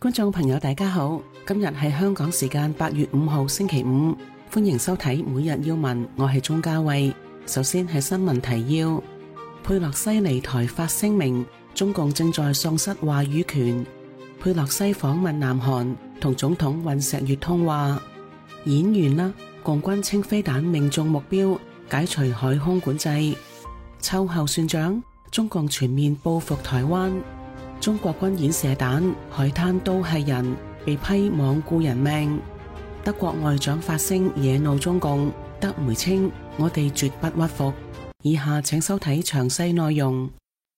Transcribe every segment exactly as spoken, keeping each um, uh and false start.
觀眾朋友大家好，今日係香港時間八月五號星期五，歡迎收睇每日要聞，我係鍾嘉慧。首先係新聞提要：佩洛西離台發聲明，中共正在喪失話語權。佩洛西訪問南韓，同總統尹錫悅通話。演完啦，共軍稱飛彈命中目標，解除海空管制。秋後算賬，中共全面報復台灣。中國軍演射彈，海灘都係人，被批罔顧人命。德國外長發聲惹怒中共，德媒稱我哋絕不屈服。以下請收睇詳細內容。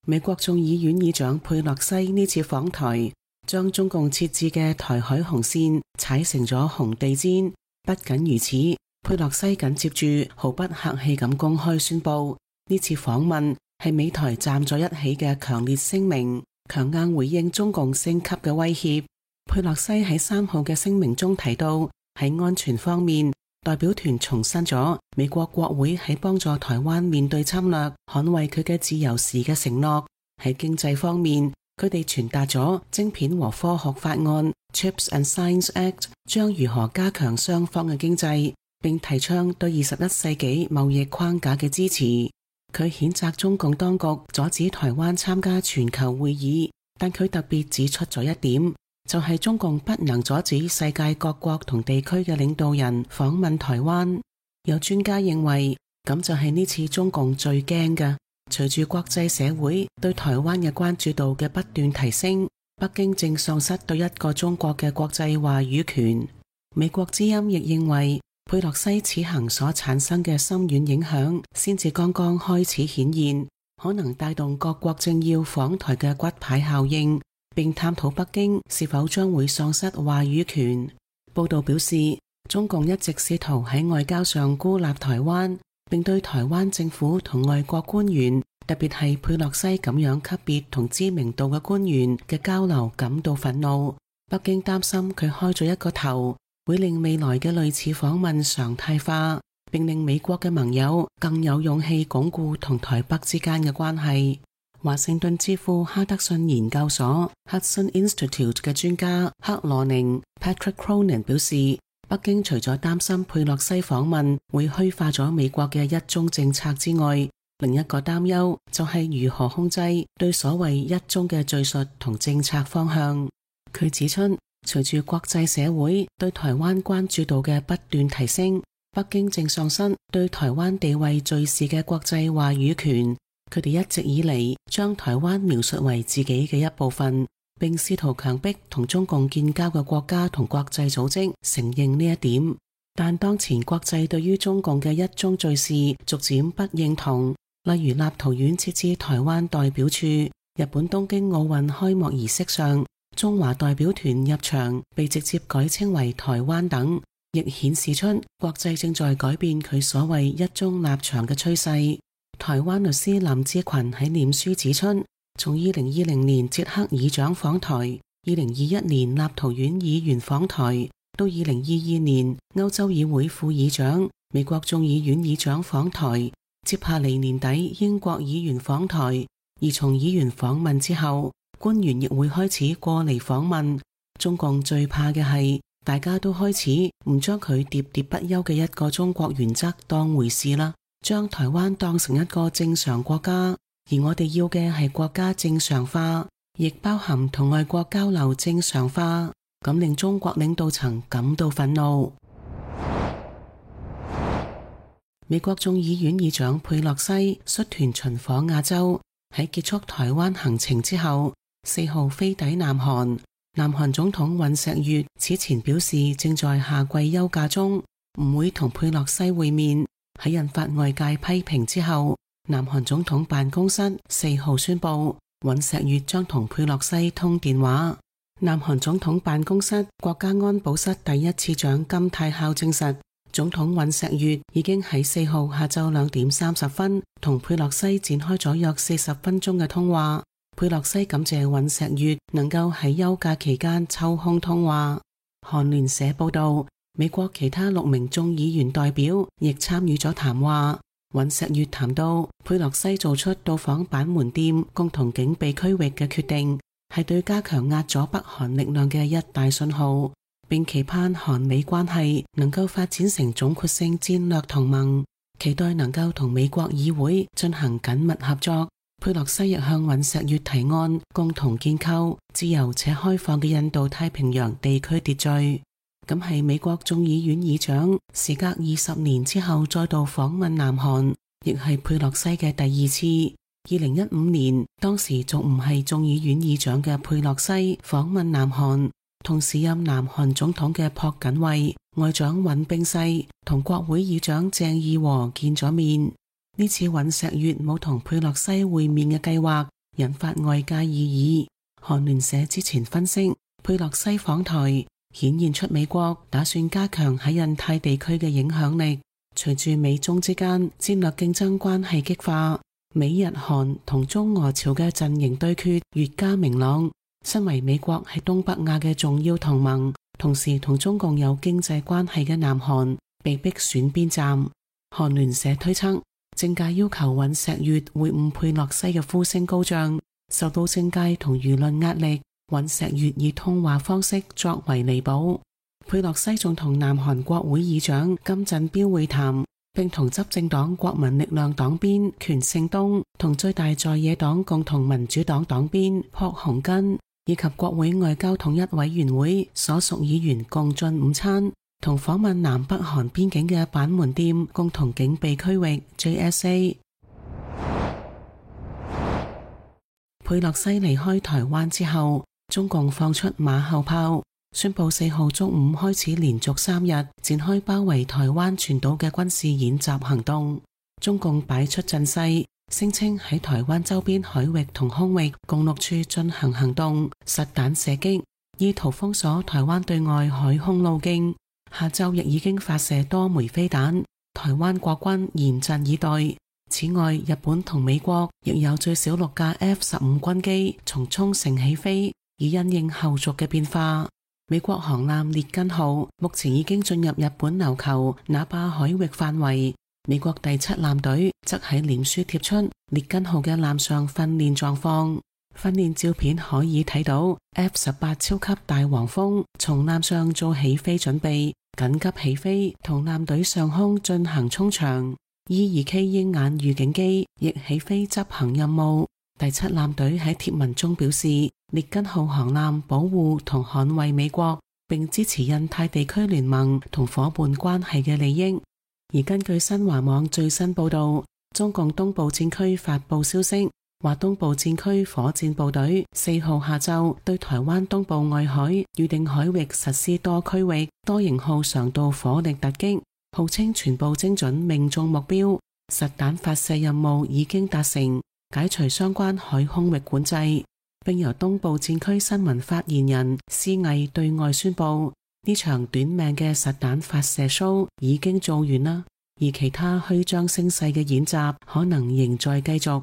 美國眾議院議長佩洛西呢次訪台，將中共設置嘅台海紅線踩成咗紅地毯。不僅如此，佩洛西緊接住毫不客氣咁公開宣布，呢次訪問係美台站在一起嘅強烈聲明，強硬回應中共升級嘅威脅。佩洛西喺三號嘅聲明中提到，喺安全方面，代表團重申咗美國國會喺幫助台灣面對侵略、捍衛佢嘅自由時嘅承諾。喺經濟方面，佢哋傳達咗晶片和科學法案 Chips and Science Act 將如何加強雙方嘅經濟，並提倡對二十一世紀貿易框架嘅支持。佢譴責中共當局阻止台灣參加全球會議，但佢特別指出咗一點，就係中共不能阻止世界各國同地區嘅領導人訪問台灣。有專家認為，咁就係呢次中共最驚嘅。隨住國際社會對台灣嘅關注度嘅不斷提升，北京正喪失對一個中國嘅國際話語權。美國之音亦認為，佩洛西此行所產生嘅深遠影響先至剛剛開始顯現，可能帶動各國政要訪台嘅骨牌效應，並探討北京是否將會喪失話語權。報道表示，中共一直試圖喺外交上孤立台灣，並對台灣政府同外國官員，特別係佩洛西咁樣級別同知名度嘅官員嘅交流感到憤怒。北京擔心佢開咗一個頭，會令未來嘅類似訪問常態化，並令美國嘅盟友更有勇氣鞏固同台北之間嘅關係。華盛頓之父哈德遜研究所 Hudson Institute 嘅專家克羅寧 Patrick Cronin 表示，北京除咗擔心佩洛西訪問會虛化咗美國嘅一中政策之外，另一個擔憂就係如何控制對所謂一中嘅敘述同政策方向。佢指出，隨住國際社會對台灣關注度嘅不斷提升，北京正喪失對台灣地位敘事嘅國際話語權。佢哋一直以嚟將台灣描述為自己嘅一部分，並試圖強迫同中共建交嘅國家同國際組織承認呢一點。但當前國際對於中共嘅一中敘事逐漸不認同，例如立陶宛設置台灣代表處，日本東京奧運開幕儀式上中華代表團入場被直接改稱為台灣等，亦顯示出國際正在改變佢所謂一中立場嘅趨勢。台灣律師林志群喺臉書指出，從二零二零年捷克議長訪台，二零二一年立陶宛議員訪台，到二零二二年歐洲議會副議長、美國眾議院議長訪台，接下嚟年底英國議員訪台，而從議員訪問之後，官員亦會開始過嚟訪問。中共最怕嘅係大家都開始唔將佢喋喋不休嘅一個中國原則當回事啦，將台灣當成一個正常國家，而我哋要嘅係國家正常化，亦包含同外國交流正常化，咁令中國領導層感到憤怒。美國眾議院議長佩洛西率團巡訪亞洲，喺結束台灣行程之後，四號飛抵南韓。南韓總統尹錫悅此前表示正在夏季休假中，唔會同佩洛西會面。喺引發外界批評之後，南韓總統辦公室四號宣布，尹錫悅將同佩洛西通電話。南韓總統辦公室國家安保室第一次長金泰孝證實，總統尹錫悅已經喺四號下晝兩點三十分同佩洛西展開咗約四十分鐘嘅通話。佩洛西感謝尹錫悅能夠喺休假期間抽空通話。韓聯社報道，美國其他六名眾議員代表亦參與咗談話。尹錫悅談到佩洛西做出到訪板門店共同警備區域嘅決定，係對加強壓阻北韓力量嘅一大信號，並期盼韓美關係能夠發展成總括性戰略同盟，期待能夠同美國議會進行緊密合作。佩洛西亦向尹錫悅提案，共同建構自由且開放嘅印度太平洋地區秩序。咁係美國眾議院議長時隔二十年之後再度訪問南韓，亦係佩洛西嘅第二次。二零一五年，當時仲唔係眾議院議長嘅佩洛西訪問南韓，同時任南韓總統嘅朴槿惠、外長尹炳世同國會議長鄭義和見咗面。呢次尹錫悅冇同佩洛西會面嘅計劃，引發外界異議。韓聯社之前分析，佩洛西訪台顯現出美國打算加強喺印太地區嘅影響力。隨住美中之間戰略競爭關係激化，美日韓同中俄朝嘅陣營對決越加明朗。身為美國喺東北亞嘅重要同盟，同時同中共有經濟關係嘅南韓被迫選邊站。韓聯社推測，政界要求尹錫悅會晤佩洛西嘅呼聲高漲，受到政界同輿論壓力，尹錫悅以通話方式作為彌補。佩洛西仲同南韓國會議長金振標會談，並同執政黨國民力量黨鞭權勝東同最大在野黨共同民主黨黨鞭朴洪根以及國會外交統一委員會所屬議員共進午餐，同訪問南北韓邊境嘅板門店共同警備區域 J S A。 佩洛西離開台灣之後，中共放出馬後炮，宣布四號中午開始連續三日展開包圍台灣全島嘅軍事演習行動。中共擺出陣勢，聲稱喺台灣周邊海域同空域共六處進行行動，實彈射擊，意圖封鎖台灣對外海空路徑。下晝亦已經發射多枚飛彈，台灣國軍嚴陣以待。此外，日本同美國亦有最少六架 F 十五軍機從沖繩起飛，以因應後續嘅變化。美國航艦列根號目前已經進入日本琉球那霸海域範圍。美國第七艦隊則喺臉書貼出列根號嘅艦上訓練狀況，訓練照片可以睇到 F 十八超級大黃蜂從艦上做起飛準備，緊急起飛同艦隊上空進行衝場。E 二 K 鷹眼預警機亦起飛執行任務。第七艦隊喺貼文中表示，列根號航艦保護同捍衛美國並支持印太地區聯盟同夥伴關係嘅利益。而根據新華網最新報道，中共東部戰區發布消息，話東部戰區火箭部隊四號下晝對台灣東部外海預定海域實施多區域多型號常導火力突擊，號稱全部精準命中目標，實彈發射任務已經達成，解除相關海空域管制，並由東部戰區新聞發言人施毅對外宣布，呢場短命嘅實彈發射 show 已經做完啦，而其他虛張聲勢嘅演習可能仍在繼續。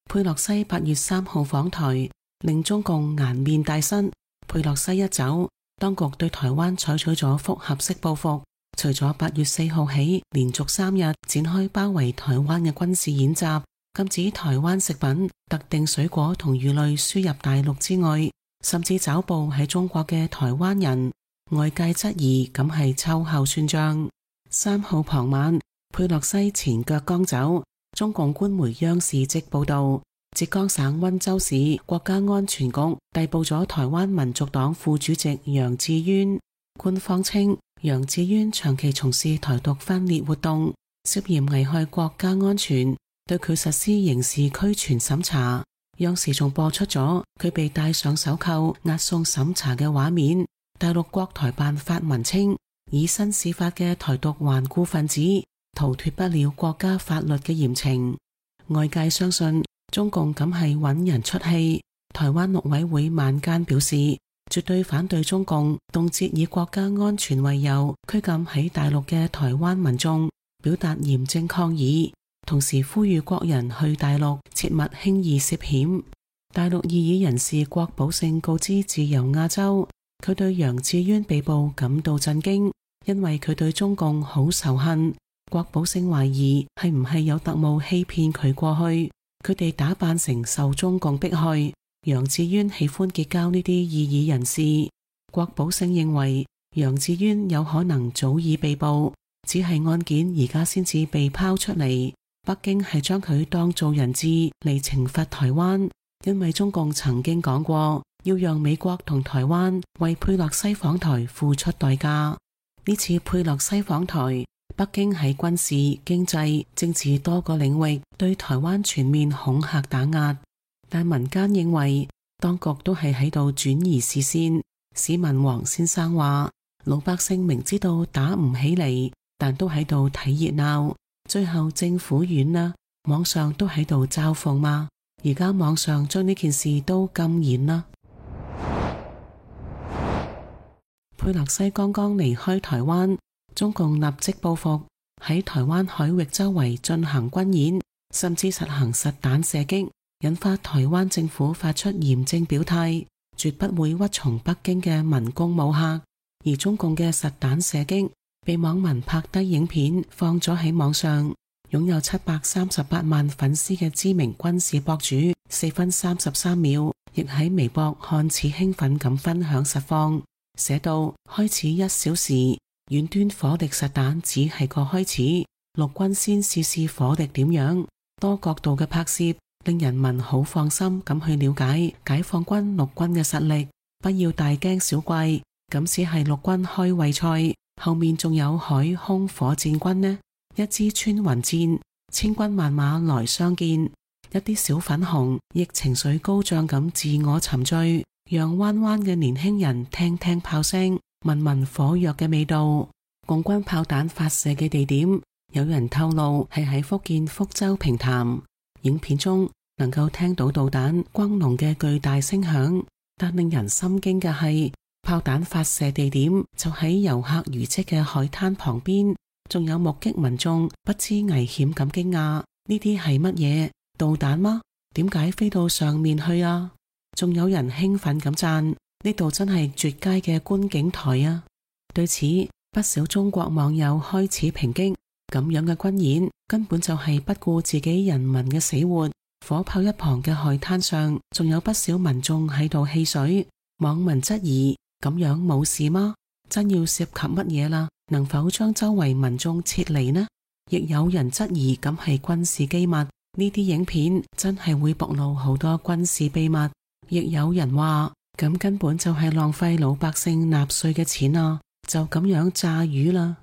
佩洛西八月三號訪台，令中共顏面大失。佩洛西一走，當局對台灣採取咗複合式報復，除咗八月四號起連續三日展開包圍台灣嘅軍事演習，禁止台灣食品、特定水果同魚類輸入大陸之外，甚至抓捕喺中國嘅台灣人，外界質疑咁係秋後算賬。三號傍晚，佩洛西前腳剛走，中共官媒央視即報道，浙江省溫州市國家安全局逮捕咗台灣民族黨副主席楊智淵。官方稱，楊智淵長期從事台獨分裂活動，涉嫌危害國家安全，對佢實施刑事拘傳審查。央視仲播出咗佢被戴上手銬押送審查嘅畫面。大陸國台辦發文稱，以身試法嘅台獨頑固分子逃脫不了國家法律嘅嚴懲。外界相信中共咁係揾人出氣。台灣陸委會晚間表示，絕對反對中共動輒以國家安全為由拘禁喺大陸嘅台灣民眾，表達嚴正抗議，同時呼籲國人去大陸切勿輕易涉險。大陸異議人士郭寶勝告知自由亞洲，佢對楊智淵被捕感到震驚，因為佢對中共好仇恨。郭寶勝懷疑係唔係有特務欺騙佢過去。佢哋打扮成受中共迫害。楊智淵喜歡結交呢啲異議人士。郭寶勝認為楊智淵有可能早已被捕，只係案件而家先至被拋出嚟。北京係將佢當做人質嚟懲罰台灣，因為中共曾經講過要讓美國同台灣為佩洛西訪台付出代價。呢次佩洛西訪台，北京喺軍事、經濟、政治多個領域對台灣全面恐嚇打壓，但民間認為當局都係喺度轉移視線。市民黃先生話：老百姓明知道打唔起嚟，但都喺度睇熱鬧。最後政府軟啦，網上都喺度嘲諷嘛。而家網上將呢件事都禁言啦。佩洛西剛剛離開台灣，中共立即報復，喺台灣海域周圍進行軍演，甚至實行實彈射擊，引發台灣政府發出嚴正表態，絕不會屈從北京嘅文攻武嚇。而中共嘅實彈射擊被網民拍低影片放咗喺網上，擁有七百三十八萬粉絲嘅知名軍事博主四分三十三秒亦喺微博看似興奮咁分享實況，寫到開始一小時，遠端火力實彈只係個開始，陸軍先試試火力點樣。多角度嘅拍攝令人民好放心咁去了解解放軍陸軍嘅實力，不要大驚小怪，咁只係陸軍開胃菜，後面仲有海空火箭軍呢。一支穿雲箭，千軍萬馬來相見。一啲小粉紅亦情緒高漲咁自我沉醉，讓灣灣嘅年輕人聽聽炮聲，聞聞火藥嘅味道。共軍炮彈發射嘅地點，有人透露係喺福建福州平潭。影片中能夠聽到導彈轟隆嘅巨大聲響，但令人心驚嘅係，炮彈發射地點就喺遊客如織嘅海灘旁邊。仲有目擊民眾不知危險咁驚訝，呢啲係乜嘢？導彈嗎？點解飛到上面去啊？仲有人興奮咁讚，呢度真係絕佳嘅觀景台啊！對此，不少中國網友開始抨擊，咁樣嘅軍演根本就係不顧自己人民嘅死活。火炮一旁嘅海灘上，仲有不少民眾喺度戲水。網民質疑，咁樣冇事嗎？真要涉及乜嘢啦？能否將周圍民眾撤離呢？亦有人質疑咁係軍事機密，呢啲影片真係會暴露好多軍事秘密。亦有人話咁根本就係浪費老百姓納稅嘅錢啊，就咁樣炸魚啦。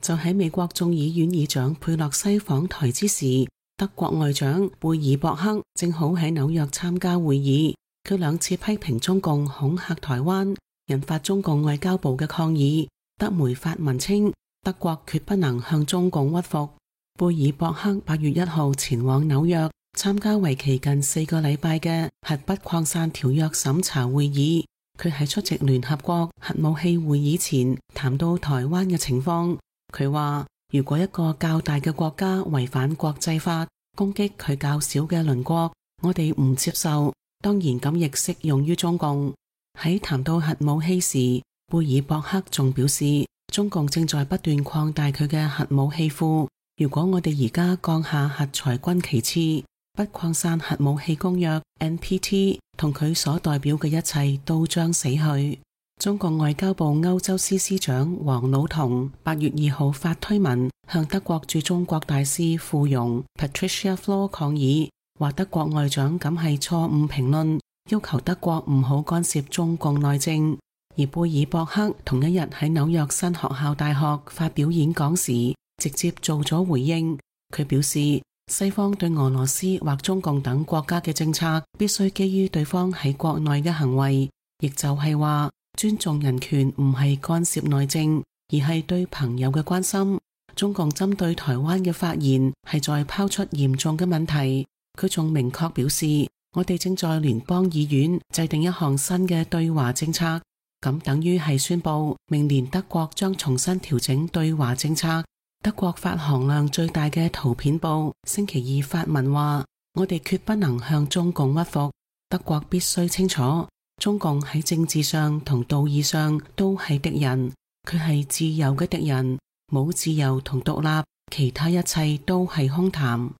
就喺美國眾議院議長佩洛西訪台之時，德國外長貝爾博克正好喺紐約參加會議，佢兩次批評中共恐嚇台灣，引發中共外交部嘅抗議。德媒發文稱，德國決不能向中共屈服。貝爾博克八月一號前往紐約參加為期近四個禮拜嘅核不擴散條約審查會議。佢喺出席聯合國核武器會議前談到台灣嘅情況。佢話，如果一個較大嘅國家違反國際法，攻擊佢較小嘅鄰國，我哋唔接受。當然咁亦適用於中共。喺談到核武器時，貝爾博克仲表示，中共正在不斷擴大佢嘅核武器庫。如果我哋而家降下核裁軍旗幟，不擴散核武器公約 N P T 同佢所代表嘅一切都將死去。中國外交部歐洲司司長王老同八月二號發推文向德國駐中國大使傅容 Patricia Flohr 抗議，話德國外長咁係錯誤評論，要求德國唔好干涉中共內政。而貝爾博克同一日喺紐約新學校大學發表演講時，直接做咗回應。佢表示，西方對俄羅斯或中共等國家嘅政策必須基於對方喺國內嘅行為，亦就係話尊重人權唔係干涉內政，而係對朋友嘅關心。中共針對台灣嘅發言係在拋出嚴重嘅問題。佢仲明確表示，我哋正在聯邦議院制定一項新嘅對華政策，咁等於係宣布明年德國將重新調整對華政策。德國發行量最大嘅圖片報星期二發文話，我哋決不能向中共屈服。德國必須清楚，中共喺政治上同道義上都係敵人，佢係自由嘅敵人，冇自由同獨立，其他一切都係空談。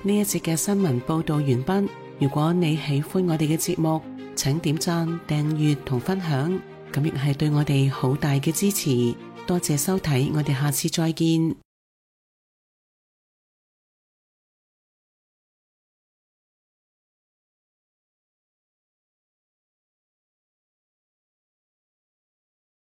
呢一節嘅新聞報道完畢。如果你喜歡我哋嘅節目，請點讚、訂閱同分享，咁亦係對我哋好大嘅支持。多謝收睇，我哋下次再見。